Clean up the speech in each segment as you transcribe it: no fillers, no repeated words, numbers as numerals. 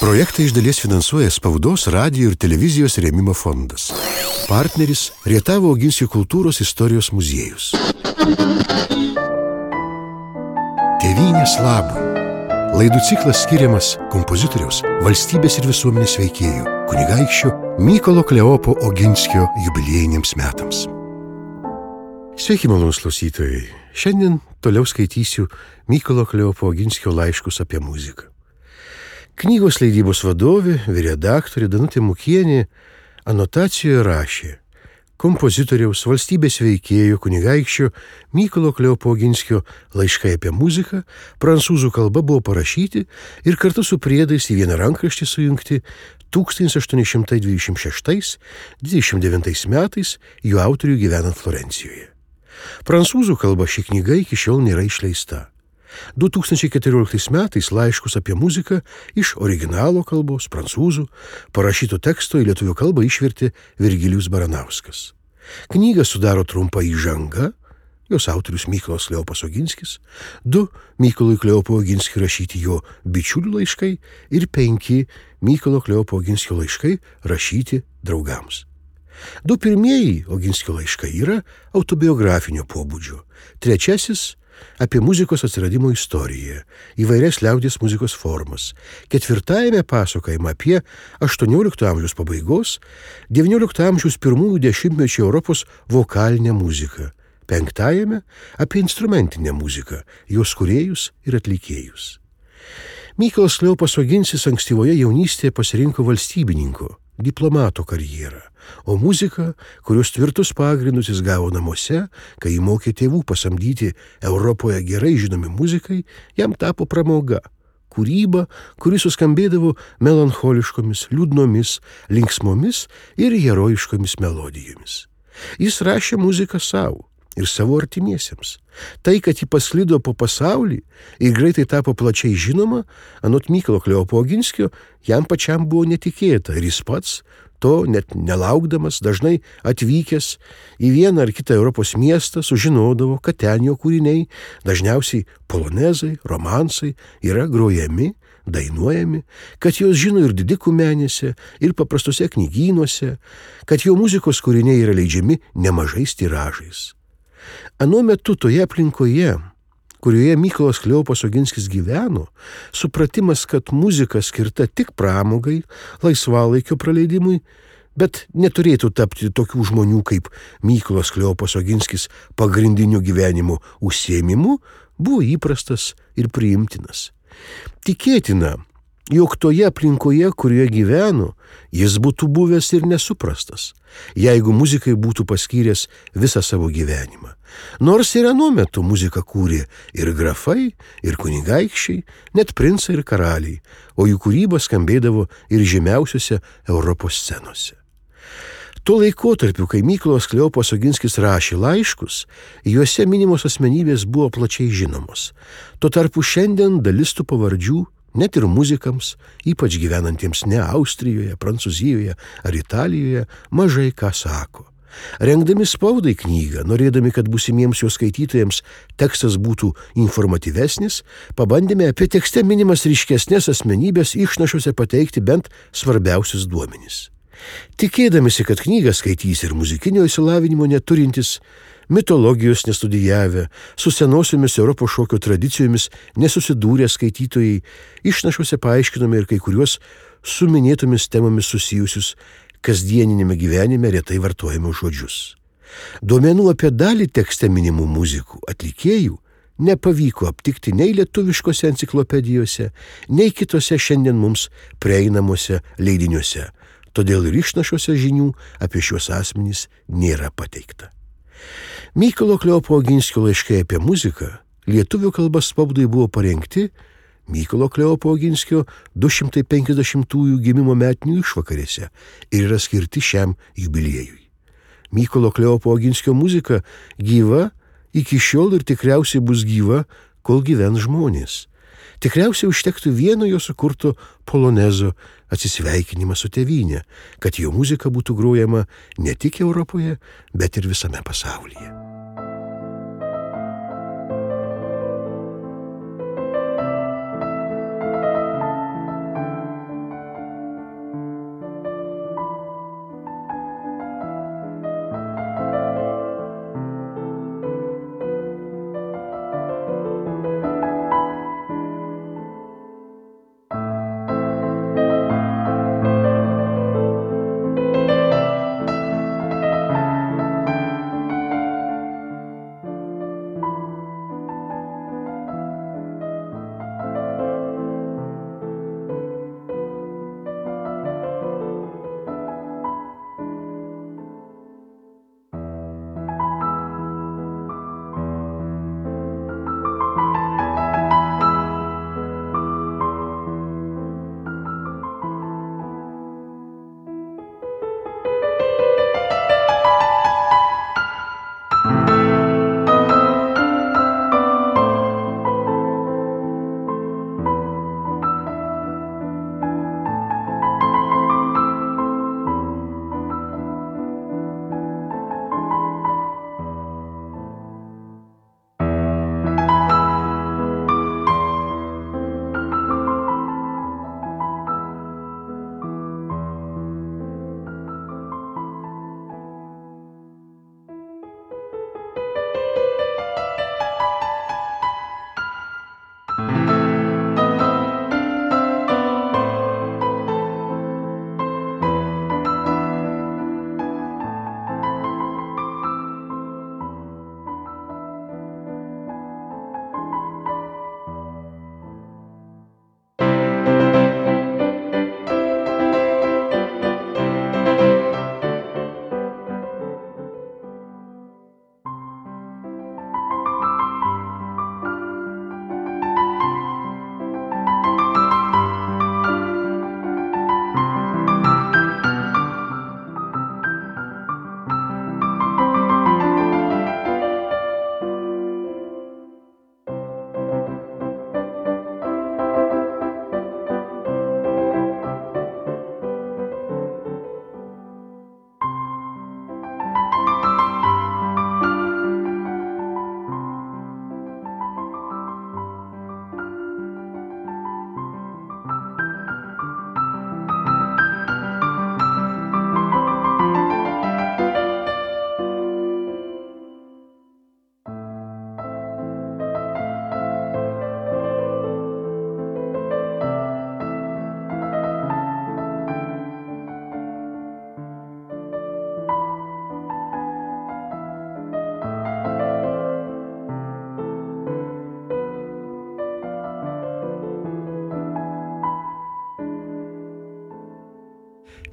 Projektą iš dalies finansuoja Spaudos, radijo ir televizijos rėmimo fondas. Partneris Rietavo Oginskio kultūros istorijos muziejus. Tėvynės labui. Laidų ciklas skiriamas kompozitoriaus, valstybės ir visuomenės veikėjų, kunigaikščio Mykolo Kleopo Oginskio jubiliejiniams metams. Sveiki, malonūs klausytojai. Šiandien toliau skaitysiu Mykolo Kleopo Oginskio laiškus apie muziką. Knygos leidybos vadovė, vyredaktorė Danutė Mukienė anotacijoje rašė: kompozitoriaus, valstybės veikėjo, kunigaikščio Mykolo Kleopo Oginskio laiškai apie muziką prancūzų kalba buvo parašyti ir kartu su priedais į vieną rankraštį sujungti 1826-29 metais jų autorių gyvenant Florencijoje. Prancūzų kalba ši knyga iki šiol nėra išleista. 2014 metais laiškus apie muziką iš originalo kalbos, prancūzų, parašyto teksto į lietuvių kalbą išvertė Virgilijus Baranauskas. Knygą sudaro trumpa įžanga, jos autorius Mykolas Kleopas Oginskis, 2 Mykolui Kleopo Oginskiui rašyti jo bičiulių laiškai ir 5 Mykolo Kleopo Oginskio laiškai rašyti draugams. 2 pirmieji Oginskio laiškai yra autobiografinio pobūdžio, 3 apie muzikos atsiradimo istoriją, įvairias liaudies muzikos formas, 4 pasakojama apie 18 amžiaus pabaigos, 19 amžiaus pirmųjų dešimtmečių Europos vokalinę muziką, 5 apie instrumentinę muziką, jos kūrėjus ir atlikėjus. Mykolas Kleopas Oginskis ankstyvoje jaunystėje pasirinko valstybininko, diplomato karjerą, o muzika, kurios tvirtus pagrindus jis gavo namuose, kai jį mokė tėvų pasamdyti Europoje gerai žinomi muzikai, jam tapo pramoga, kūryba, kuri suskambėdavo melancholiškomis, liūdnomis, linksmomis ir herojiškomis melodijomis. Jis rašė muziką savo ir savo artimiesiems. Tai, kad ji pasklido po pasaulį ir greitai tapo plačiai žinoma, anot Mykolo Kleopo Oginskio, jam pačiam buvo netikėta ir jis pats, to net nelaukdamas, dažnai atvykęs į vieną ar kitą Europos miestą, sužinodavo, kad ten jo kūriniai, dažniausiai polonezai, romansai, yra grojami, dainuojami, kad jos žino ir didikų menėse, ir paprastose knygynuose, kad jo muzikos kūriniai yra leidžiami nemažais tiražais. Anuo metu toje aplinkoje, kurioje Mykolas Kleopas Oginskis gyveno, supratimas, kad muzika skirta tik pramogai, laisvalaikio praleidimui, bet neturėtų tapti tokių žmonių kaip Mykolas Kleopas Oginskis pagrindiniu gyvenimo užsiėmimu, buvo įprastas ir priimtinas. Tikėtina, jog toje aplinkoje, kurioje gyveno, jis būtų buvęs ir nesuprastas, jeigu muzikai būtų paskyręs visą savo gyvenimą. Nors ir anuo metu muziką kūrė ir grafai, ir kunigaikščiai, net princai ir karaliai, o jų kūryba skambėdavo ir žymiausiose Europos scenose. Tuo laikotarpiu, kai Mykolas Kleopas Oginskis rašė laiškus, juose minimos asmenybės buvo plačiai žinomos. Tuo tarpu šiandien dalis tų pavardžių net ir muzikams, ypač gyvenantiems ne Austrijoje, Prancūzijoje ar Italijoje, mažai ką sako. Rengdami spaudai knygą, norėdami, kad būsimiems jos skaitytojams tekstas būtų informatyvesnis, pabandėme apie tekste minimas ryškesnės asmenybės išnašuose pateikti bent svarbiausius duomenis. Tikėdamisi, kad knygą skaitys ir muzikinio išsilavinimo neturintis, mitologijos nestudijavę, su senosiomis Europos šokio tradicijomis nesusidūrę skaitytojai, išnašuose paaiškinome ir kai kuriuos su minėtomis temomis susijusius kasdieninėme gyvenime retai vartojamus žodžius. Duomenų apie dalį tekste minimų muzikų, atlikėjų nepavyko aptikti nei lietuviškose enciklopedijose, nei kitose šiandien mums prieinamuose leidiniuose, todėl ir išnašuose žinių apie šios asmenys nėra pateikta. Mykolo Kleopo Oginskio laiškai apie muziką lietuvių kalba spaudai buvo parengti Mykolo Kleopo Oginskio 250-ųjų gimimo metinių išvakarėse ir yra skirti šiam jubiliejui. Mykolo Kleopo Oginskio muzika gyva iki šiol ir tikriausiai bus gyva, kol gyvens žmonės. Tikriausiai užtektų vieno jo sukurto polonezo atsisveikinimą su tėvyne, kad jo muzika būtų grojama ne tik Europoje, bet ir visame pasaulyje.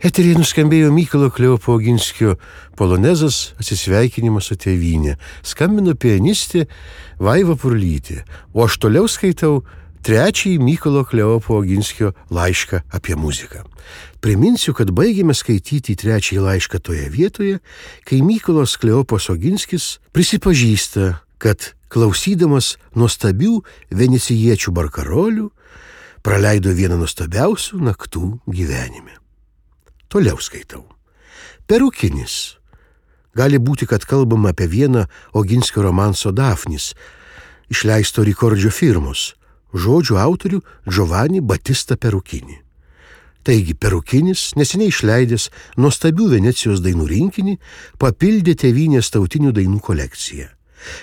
Eteryje nuskambėjo Mykolo Kleopo Oginskio polonezas Atsisveikinimas su tėvynė. Skambino pianistė Vaiva Purlytė, o aš toliau skaitau trečiąjį Mykolo Kleopo Oginskio laišką apie muziką. Priminsiu, kad baigėme skaityti trečiąjį laišką toje vietoje, kai Mykolas Kleopas Oginskis prisipažįsta, kad klausydamas nuostabių venecijiečių barkarolių praleido vieną nuostabiausių naktų gyvenime. Toliau skaitau. Perukinis. Gali būti, kad kalbama apie vieną Oginskio romanso Dafnis, išleisto Rikordžio firmos, žodžių autorių Giovanni Battista Perukini. Taigi Perukinis, neseniai išleidęs nuostabių Venecijos dainų rinkinį, papildė tėvynės tautinių dainų kolekciją.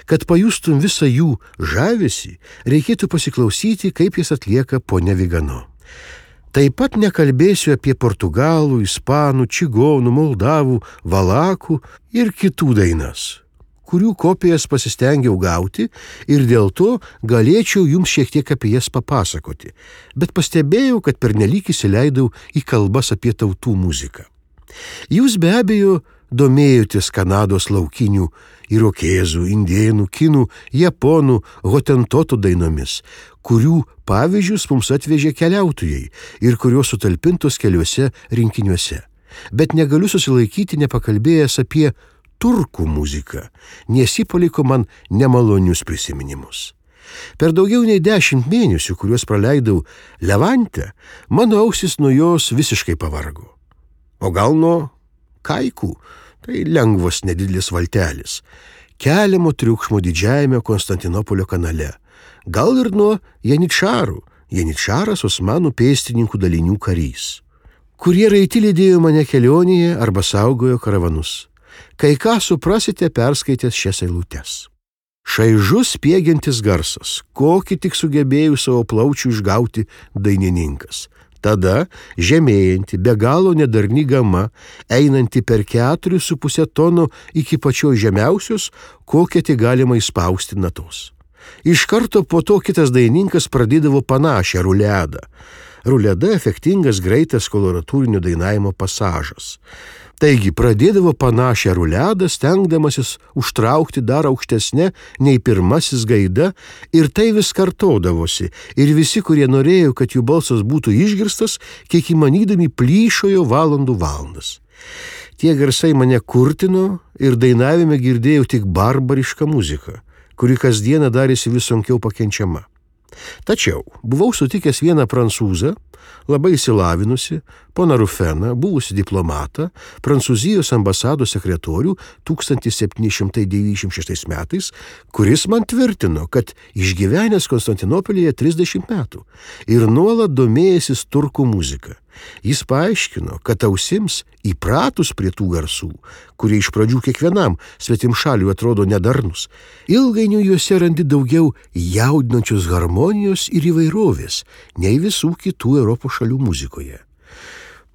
Kad pajustum visą jų žavesį, reikėtų pasiklausyti, kaip jis atlieka ponia Vigano. Taip pat nekalbėsiu apie portugalų, ispanų, čigonų, moldavų, valakų ir kitų dainas, kurių kopijas pasistengiau gauti ir dėl to galėčiau jums šiek tiek apie jas papasakoti, bet pastebėjau, kad pernelyg įsileidau į kalbas apie tautų muziką. Jūs be abejo domėjotės Kanados laukinių irokėzų, indėnų, kinų, japonų, hotentotų dainomis, kurių pavyzdžius mums atvežė keliautojai ir kurios sutalpintos keliuose rinkiniuose. Bet negaliu susilaikyti nepakalbėjęs apie turkų muziką, nes ji paliko man nemalonius prisiminimus. Per daugiau nei 10 mėnesių, kuriuos praleidau Levante, mano ausis nuo jos visiškai pavargo. O gal nuo kaikų, tai lengvas nedidelis valtelis, keliamo triukšmo didžiajame Konstantinopolio kanale, gal ir nuo janičarų, janičaras osmanų pėstininkų dalinių karys, kurie raiti lydėjo mane kelionėje arba saugojo karavanus. Kai ką suprasite perskaitęs šias eilutes. Šaižus spiegiantis garsas, kokį tik sugebėjo savo plaučių išgauti dainininkas. Tada žemėjanti, be galo nedarni gama, einanti per 4,5 tono iki pačios žemiausios, kokią tik galima įspausti natos. Iš karto po to kitas dainininkas pradėdavo panašią ruledą. Ruleda efektingas, greitas koloratūrinio dainavimo pasažas. Taigi pradėdavo panašią ruledą, stengdamasis užtraukti dar aukštesnę nei pirmasis gaida, ir tai vis kartodavosi, ir visi, kurie norėjo, kad jų balsas būtų išgirstas, kiek įmanydami plyšojo valandų valandas. Tie garsai mane kurtino ir dainavime girdėjau tik barbarišką muziką, kuri kasdieną darėsi vis sunkiau pakenčiama. Tačiau buvau sutikęs vieną prancūzą, labai išsilavinusi, poną Rufeną, buvusi diplomatą, Prancūzijos ambasados sekretorių 1796 metais, kuris man tvirtino, kad išgyvenęs Konstantinopolyje 30 metų ir nuolat domėjęsis turkų muzika. Jis paaiškino, kad ausims įpratus prie tų garsų, kurie iš pradžių kiekvienam svetimšaliui atrodo nedarnus, ilgainiui juose randi daugiau jaudinančios harmonijos ir įvairovės nei visų kitų Europos šalių muzikoje.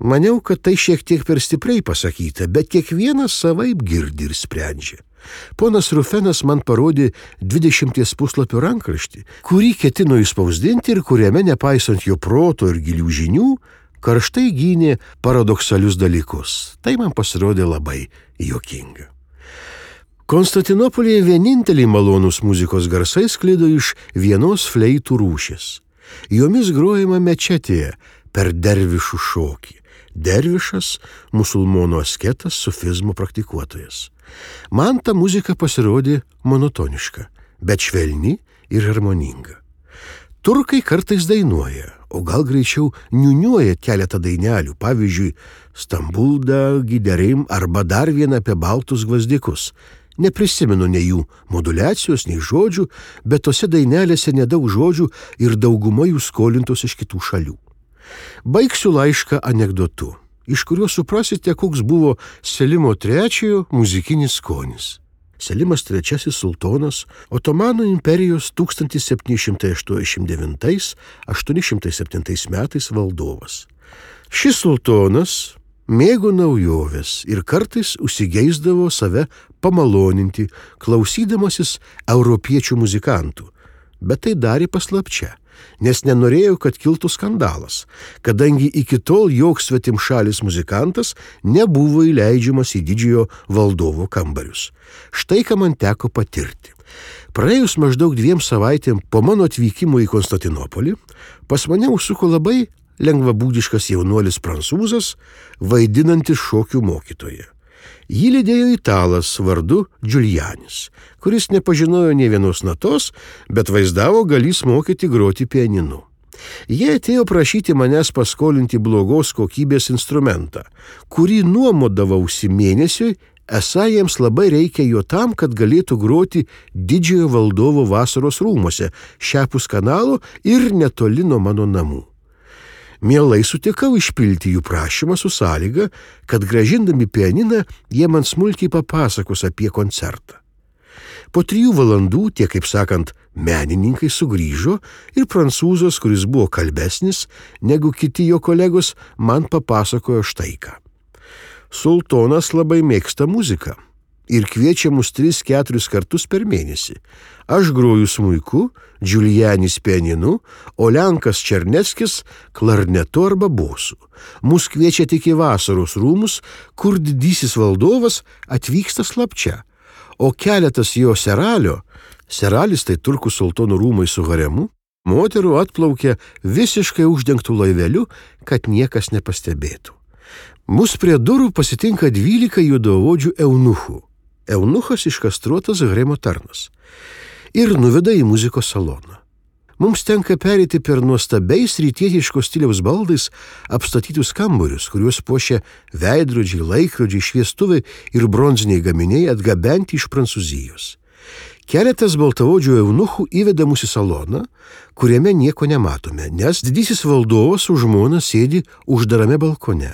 Maniau, kad tai šiek tiek per stipriai pasakyta, bet kiekvienas savaip girdi ir sprendžia. Ponas Rufenas man parodė 20 puslapių rankraštį, kurį ketino išspausdinti ir kuriame, nepaisant jo proto ir gilių žinių, karštai gynė paradoksalius dalykus. Tai man pasirodė labai juokinga. Konstantinopolyje vieninteliai malonūs muzikos garsai sklido iš vienos fleitų rūšės. Jomis grojama mečetėje per dervišų šokį. Dervišas – musulmonų asketas, sufizmo praktikuotojas. Man ta muzika pasirodė monotoniška, bet švelni ir harmoninga. Turkai kartais dainuoja, o gal greičiau niuniuoja keletą dainelių, pavyzdžiui, Stambulda, Giderim arba dar vieną apie baltus gvazdikus. Neprisimenu nei jų modulacijos, nei žodžių, bet tose dainelėse nedaug žodžių ir dauguma jų skolintos iš kitų šalių. Baigsiu laišką anekdotu, iš kurio suprasite, koks buvo Selimo III muzikinis skonis. Selimas III sultonas, Otomanų imperijos 1789–807 metais valdovas. Šis sultonas mėgo naujoves ir kartais užsigeisdavo save pamaloninti, klausydamasis europiečių muzikantų, bet tai darė paslapčia, nes nenorėjo, kad kiltų skandalas, kadangi iki tol joks svetimšalis muzikantas nebuvo įleidžiamas į didžiojo valdovo kambarius. Štai ką man teko patirti. Praėjus maždaug 2 savaitėm po mano atvykimo į Konstantinopolį, pas mane užsuko labai lengvabūdiškas jaunuolis prancūzas, vaidinantis šokių mokytoją. Jį lydėjo italas vardu Giulianis, kuris nepažinojo nė vienos natos, bet vaizdavo galys mokyti groti pianinu. Jie atėjo prašyti manęs paskolinti blogos kokybės instrumentą, kurį nuomodavausi mėnesiui, esą jiems labai reikia jo tam, kad galėtų groti didžiojo valdovo vasaros rūmuose, šiapus kanalo ir netoli nuo mano namų. Mielai sutikau išpilti jų prašymą su sąlyga, kad grąžindami pianiną jie man smulkiai papasakos apie koncertą. Po 3 valandų tie, kaip sakant, menininkai sugrįžo ir prancūzas, kuris buvo kalbesnis negu kiti jo kolegos, man papasakojo štai ką. Sultonas labai mėgsta muziką ir kviečia mus 3-4 kartus per mėnesį. Aš groju smuiku, Giulianis pianinu, o Lenkas Černeckis klarnetu arba bosu. Mus kviečia tik į vasaros rūmus, kur didysis valdovas atvyksta slapčia, o keletas jo seralis tai turkų sultonų rūmai su haremu, moterų atplaukia visiškai uždengtų laiveliu, kad niekas nepastebėtų. Mus prie durų pasitinka 12 juodaodžių eunuchų. Eunuchas iškastruotas haremo tarnas. Ir nuveda į muzikos saloną. Mums tenka pereiti per nuostabiais rytietiškos stiliaus baldais apstatytus kambarius, kuriuos puošia veidrodžiai, laikrodžiai, šviestuvai ir bronziniai gaminiai atgabenti iš Prancūzijos. Keletas baltaodžių eunuchų įveda mus į saloną, kuriame nieko nematome, nes didysis valdovas su žmona sėdi uždarame balkone,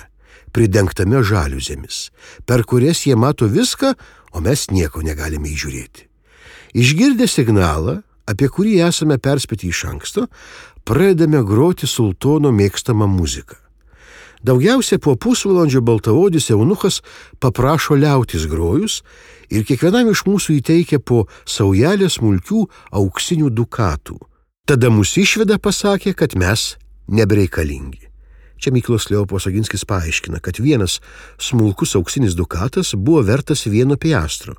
pridengtame žaliuzėmis, per kurias jie mato viską, o mes nieko negalime įžiūrėti. Išgirdę signalą, apie kurį esame perspėti iš anksto, pradedame groti sultono mėgstamą muziką. Daugiausia po pusvalandžio baltaodis eunuchas paprašo liautis grojus ir kiekvienam iš mūsų įteikia po saujelę smulkių auksinių dukatų. Tada mus išveda pasakė, kad mes nebereikalingi. Čia Mykolas Kleopas Oginskis paaiškina, kad vienas smulkus auksinis dukatas buvo vertas 1 piastro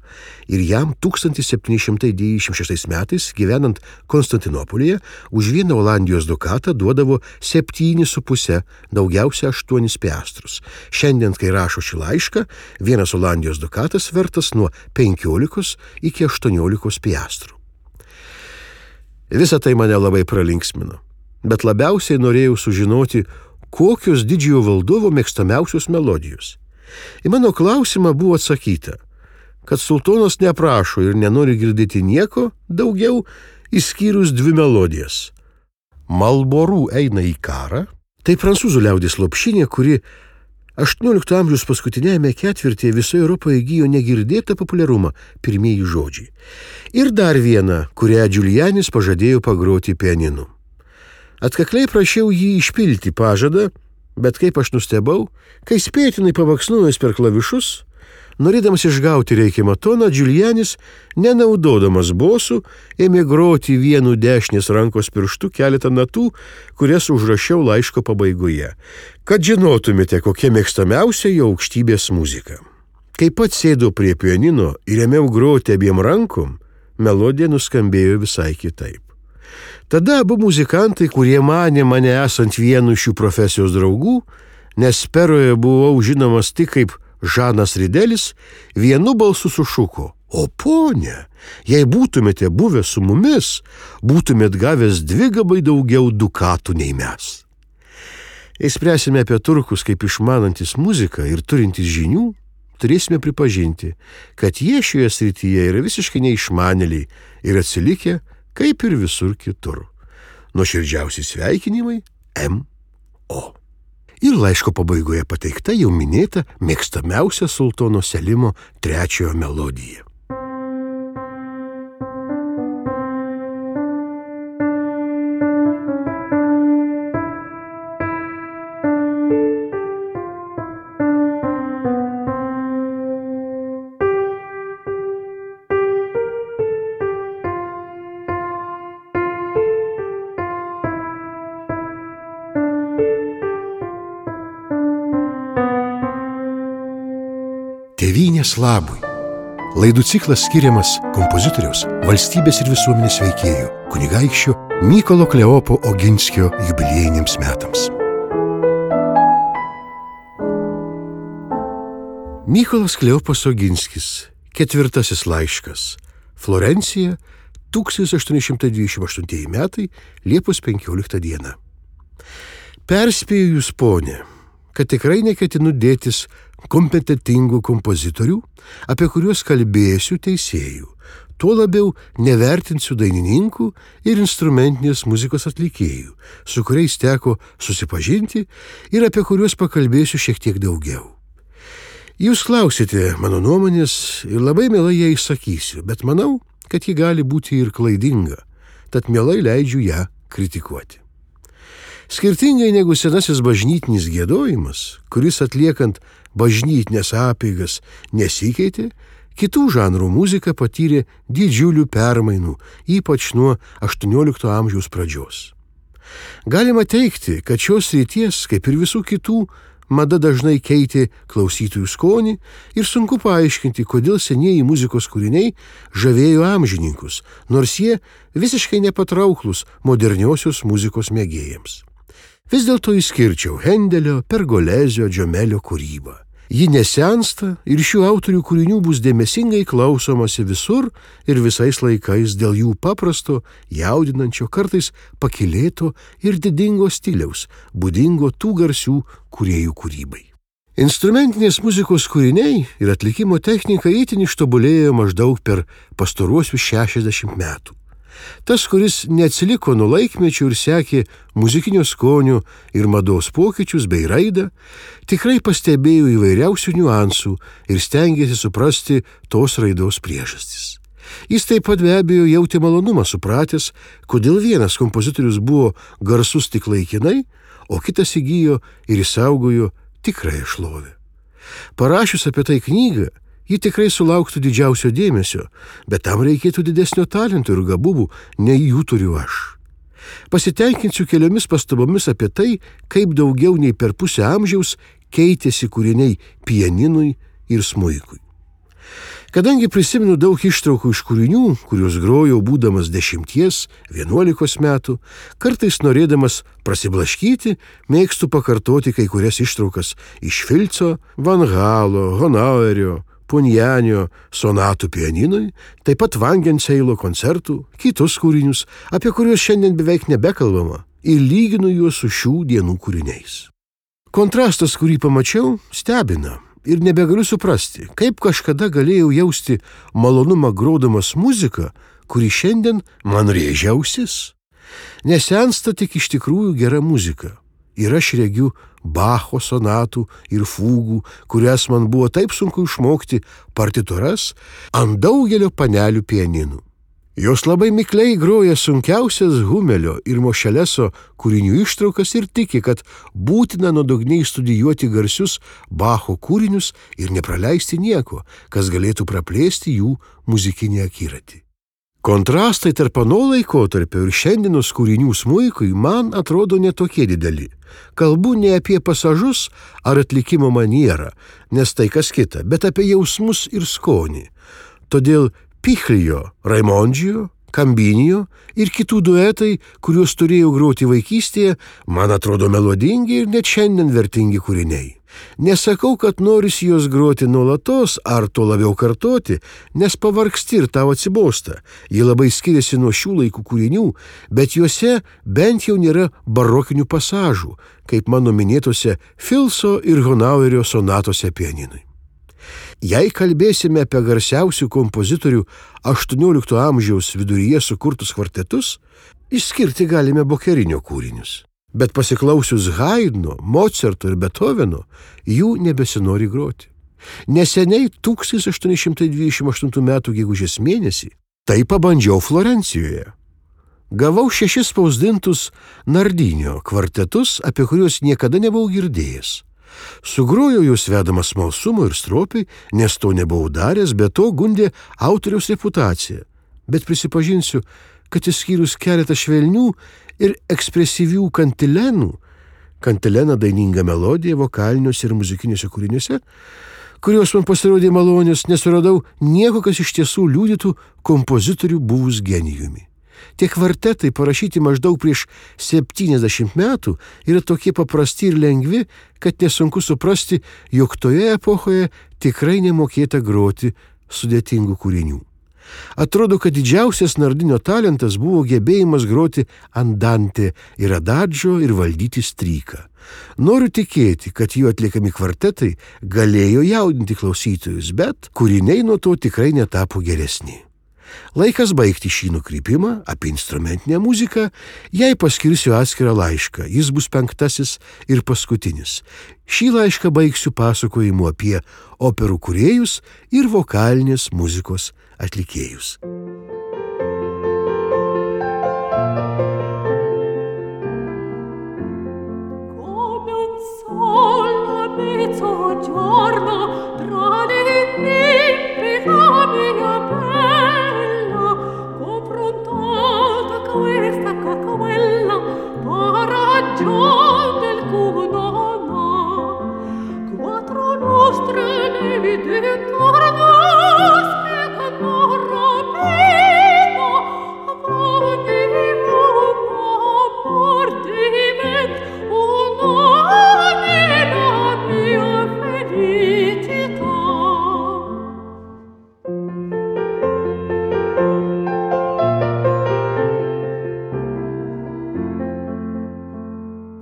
ir jam 1796 metais, gyvenant Konstantinopolyje, už 1 Olandijos dukatą duodavo 7,5, daugiausia 8 piastrus. Šiandien, kai rašo šį laišką, 1 Olandijos dukatas vertas nuo 15 iki 18 piastrų. Visa tai mane labai pralinksmino, bet labiausiai norėjau sužinoti, kokios didžiojo valdovo mėgstamiausios melodijos. Į mano klausimą buvo atsakyta, kad sultonas neprašo ir nenori girdėti nieko daugiau, išskyrus 2 melodijas. Malborų eina į karą, tai prancūzų liaudies lopšinė, kuri 18 amžiaus paskutinėme ketvirtyje visoje Europoje įgijo negirdėtą populiarumą, pirmieji žodžiai. Ir dar viena, kurią Giulianis pažadėjo pagroti pianinu. Atkakliai prašiau jį išpilti pažadą, bet kaip aš nustebau, kai spėtinai pavaksnojęs per klavišus, norėdamas išgauti reikiamą toną, Giulianis, nenaudodamas bosų, ėmė groti vienu dešinės rankos pirštu keletą natų, kurias užrašiau laiško pabaigoje, kad žinotumėte, kokia mėgstamiausia jo aukštybės muzika. Kai pats sėdau prie pianino ir ėmiau groti abiem rankom, melodija nuskambėjo visai kitaip. Tada abu muzikantai, kurie manė mane esant vienu šių profesijos draugų, nes Peroje buvau žinomas tik kaip Žanas Ridelis, vienu balsu sušuko: "O ponia, jei būtumėte buvę su mumis, būtumėt gavęs 2 daugiau dukatų nei mes." Jei spręsime apie turkus kaip išmanantis muziką ir turintis žinių, turėsime pripažinti, kad jie šioje srityje yra visiškai neišmanėliai ir atsilikę kaip ir visur kitur. Nuoširdžiausi sveikinimai M.O. Ir laiško pabaigoje pateikta jau minėta mėgstamiausia sultono Selimo III melodija. Tėvynės labui. Laidų ciklas skiriamas kompozitoriaus, valstybės ir visuomenės veikėjų, kunigaikščio Mykolo Kleopo Oginskio jubiliejiniams metams. Mykolas Kleopas Oginskis, 4 laiškas. Florencija, 1828 metai, Liepos 15 diena. Perspėju jūs, ponė, kad tikrai neketinu dėtis kompetentingų kompozitorių, apie kuriuos kalbėsiu teisėjų. Tuo labiau nevertinsiu dainininkų ir instrumentinės muzikos atlikėjų, su kuriais teko susipažinti ir apie kuriuos pakalbėsiu šiek tiek daugiau. Jūs klausite mano nuomonės ir labai mielai ją išsakysiu, bet manau, kad ji gali būti ir klaidinga, tad mielai leidžiu ją kritikuoti. Skirtingai negu senasis bažnytinis giedojimas, kuris atliekant bažnytinės apeigas nesikeitė, kitų žanrų muzika patyrė didžiulių permainų, ypač nuo 18 amžiaus pradžios. Galima teigti, kad šios srities, kaip ir visų kitų, mada dažnai keitė klausytojų skonį ir sunku paaiškinti, kodėl senieji muzikos kūriniai žavėjo amžininkus, nors jie visiškai nepatrauklus moderniosios muzikos mėgėjams. Vis dėlto išskirčiau Hendelio, Pergolezio, Džomelio kūrybą. Ji nesensta ir šių autorių kūrinių bus dėmesingai klausomasi visur ir visais laikais dėl jų paprasto, jaudinančio, kartais pakylėto ir didingo stiliaus, būdingo tų garsių kūrėjų kūrybai. Instrumentinės muzikos kūriniai ir atlikimo technika itin ištobulėjo maždaug per pastaruosius 60 metų. Tas, kuris neatsiliko nuo laikmečių ir sekė muzikinio skonio ir mados pokyčius bei raidą, tikrai pastebėjo įvairiausių niuansų ir stengėsi suprasti tos raidos priežastis. Jis taip pat be abejo jautė malonumą supratęs, kodėl vienas kompozitorius buvo garsus tik laikinai, o kitas įgijo ir išsaugojo tikrąją šlovę. Parašius apie tai knygą, ji tikrai sulauktų didžiausio dėmesio, bet tam reikėtų didesnio talento ir gabumų, nei jų turiu aš. Pasitenkinsiu keliomis pastabomis apie tai, kaip daugiau nei per pusę amžiaus keitėsi kūriniai pianinui ir smuikui. Kadangi prisimenu daug ištraukų iš kūrinių, kuriuos grojau būdamas 10–11 metų, kartais norėdamas prasiblaškyti, mėgstu pakartoti kai kurias ištraukas iš Filco, Van Galo, Honauerio, Punjanio sonatų pianinui, taip pat Vangenseilo koncertų, kitus kūrinius, apie kuriuos šiandien beveik nebekalbama, ir lyginu juos su šių dienų kūriniais. Kontrastas, kurį pamačiau, stebina ir nebegaliu suprasti, kaip kažkada galėjau jausti malonumą grodamas muziką, kuri šiandien man rėžia ausis. Nesensta tik iš tikrųjų gera muzika. Ir aš regiu Bacho sonatų ir fūgų, kurias man buvo taip sunku išmokti partitūras ant daugelio panelių pianinų. Jos labai mikliai groja sunkiausias Humelio ir Mošeleso kūrinių ištraukas ir tiki, kad būtina nuodugniai studijuoti garsius Bacho kūrinius ir nepraleisti nieko, kas galėtų praplėsti jų muzikinį akiratį. Kontrastai tarp ano laikotarpio ir šiandienos kūrinių smuikui man atrodo netokie dideli. Kalbu ne apie pasažus ar atlikimo manierą, nes tai kas kita, bet apie jausmus ir skonį. Todėl Pichlio, Raimondžio, Kambinio ir kitų duetai, kuriuos turėjau groti vaikystėje, man atrodo melodingi ir net šiandien vertingi kūriniai. Nesakau, kad norisi juos groti nuolatos ar to labiau kartoti, nes pavargsti ir tau atsibosta. Jie labai skiriasi nuo šių laikų kūrinių, bet juose bent jau nėra barokinių pasažų, kaip mano minėtose Filco ir Honauerio sonatose pianinui. Jei kalbėsime apie garsiausių kompozitorių 18 amžiaus viduryje sukurtus kvartetus, išskirti galime Bokerinio kūrinius. Bet pasiklausius Haidno, Mocarto ir Beethoveno, jų nebesinori groti. Neseniai 1828 m. gegužės mėnesį tai pabandžiau Florencijoje. Gavau 6 spausdintus Nardinio kvartetus, apie kuriuos niekada nebuvau girdėjęs. Sugrojau juos vedamas smalsumo ir stropiai, nes to nebuvau daręs, bet to gundė autoriaus reputacija. Bet prisipažinsiu, kad išskyrus keletą švelnių ir ekspresyvių kantilenų, kantilena daininga melodija vokaliniuose ir muzikiniuose kūriniuose, kurios man pasirodė malonios, nesuradau nieko, kas iš tiesų liudytų kompozitorių buvus genijumi. Tie kvartetai, parašyti maždaug prieš 70 metų, yra tokie paprasti ir lengvi, kad nesunku suprasti, jog toje epochoje tikrai nemokėta groti sudėtingų kūrinių. Atrodo, kad didžiausias Nardinio talentas buvo gebėjimas groti andante ir adadžio ir valdyti stryką. Noriu tikėti, kad jų atliekami kvartetai galėjo jaudinti klausytojus, bet kūriniai nuo to tikrai netapo geresni. Laikas baigti šį nukrypimą apie instrumentinę muziką, jai paskirsiu atskirą laišką, jis bus 5. ir paskutinis. Šį laišką baigsiu pasakojimu apie operų kūrėjus ir vokalinės muzikos atlikėjus.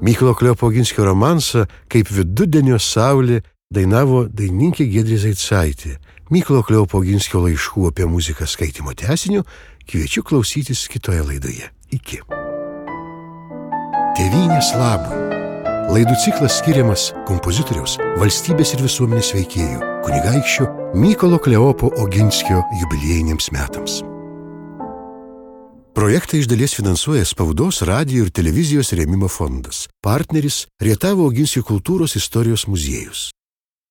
Mykolo Kleopo Oginskio romansą Kaip vidudienio saulė dainavo dainininkė Giedrė Zaicaitė. Mykolo Kleopo Oginskio laiškų apie muziką skaitymo tęsiniu kviečiu klausytis kitoje laidoje. Iki. Tėvynės labui. Laidų ciklas skiriamas kompozitoriaus, valstybės ir visuomenės veikėjų, kunigaikščio Mykolo Kleopo Oginskio jubiliejiniams metams. Projektą iš dalies finansuoja Spaudos, radijo ir televizijos rėmimo fondas. Partneris Rietavo Oginskio kultūros istorijos muziejus.